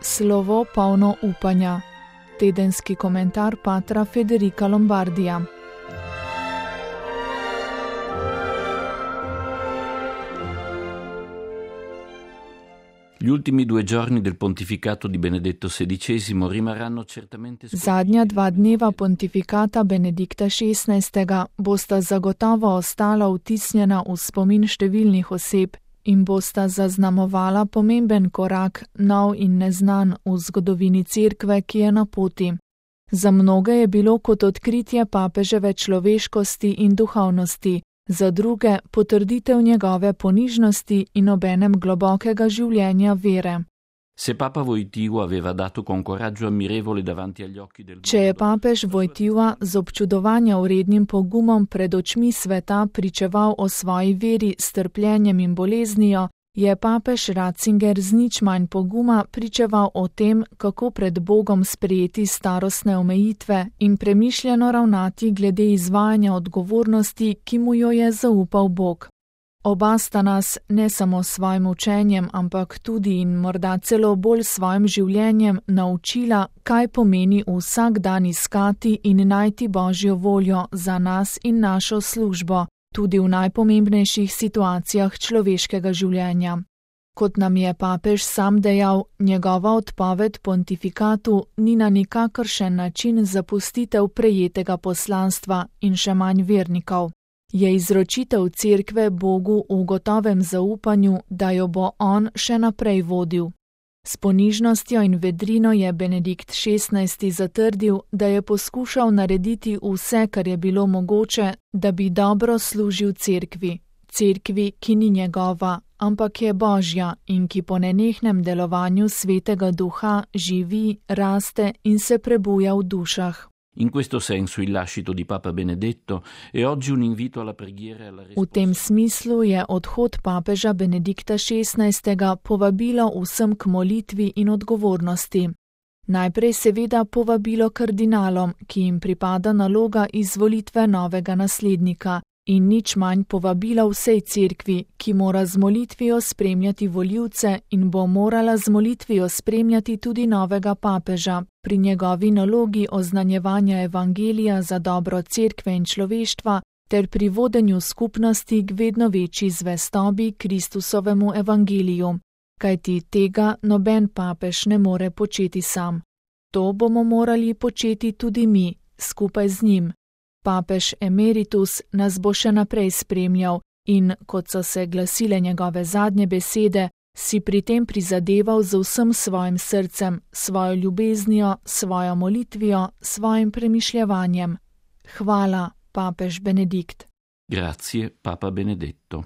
Slovo polno upanja. Tedenski komentar patra Federica Lombardija. Gli ultimi 2 giorni del pontificato di Benedetto XVI rimarranno certamente Zadnja 2 dneva pontifikata Benedikta XVI. Bosta zagotovo ostala vtisnjena v spomin številnih oseb in bosta zaznamovala pomemben korak, nov in neznan v zgodovini Cerkve, ki je na poti. Za mnoge je bilo kot odkritje papeževe človeškosti in duhovnosti, za druge potrditev njegove ponižnosti in obenem globokega življenja vere. Se Papa Wojtyła aveva dato con coraggio ammirevole davanti agli occhi del mondo. Če je papež Wojtyła z občudovanja vrednim pogumom pred očmi sveta pričeval o svoji veri s trpljenjem in boleznijo, je papež Ratzinger z nič manj poguma pričeval o tem, kako pred Bogom sprejeti starostne omejitve in premišljeno ravnati glede izvajanja odgovornosti, ki mu jo je zaupal Bog. Oba sta nas ne samo s svojim učenjem, ampak tudi in morda celo bolj svojim življenjem naučila, kaj pomeni vsak dan iskati in najti Božjo voljo za nas in našo službo, tudi v najpomembnejših situacijah človeškega življenja. Kot nam je papež sam dejal, njegova odpoved pontifikatu ni na nikakršen način zapustitev prejetega poslanstva in še manj vernikov. Je izročitev Cerkve Bogu v gotovem zaupanju, da jo bo on še naprej vodil. S ponižnostjo in vedrino je Benedikt XVI zatrdil, da je poskušal narediti vse, kar je bilo mogoče, da bi dobro služil Cerkvi. Cerkvi, ki ni njegova, ampak je Božja in ki po nenehnem delovanju Svetega Duha živi, raste in se prebuja v dušah. In questo senso il lascito di Papa Benedetto è oggi un invito alla preghiera e alla V tem smislu je odhod papeža Benedikta XVI. Povabilo vsem k molitvi in odgovornosti. Najprej seveda povabilo kardinalom, ki jim pripada naloga izvolitve novega naslednika, in nič manj povabila vsej Cerkvi, ki mora z molitvijo spremljati volivce in bo morala z molitvijo spremljati tudi novega papeža pri njegovi nalogi oznanjevanja evangelija za dobro Cerkve in človeštva ter pri vodenju skupnosti k vedno večji zvestobi Kristusovemu evangeliju, kajti tega noben papež ne more početi sam. To bomo morali početi tudi mi, skupaj z njim. Papež emeritus nas bo še naprej spremljal in, kot so se glasile njegove zadnje besede, si pri tem prizadeval z vsem svojim srcem, svojo ljubeznijo, svojo molitvijo, svojim premišljevanjem. Hvala, papež Benedikt. Grazie, Papa Benedetto.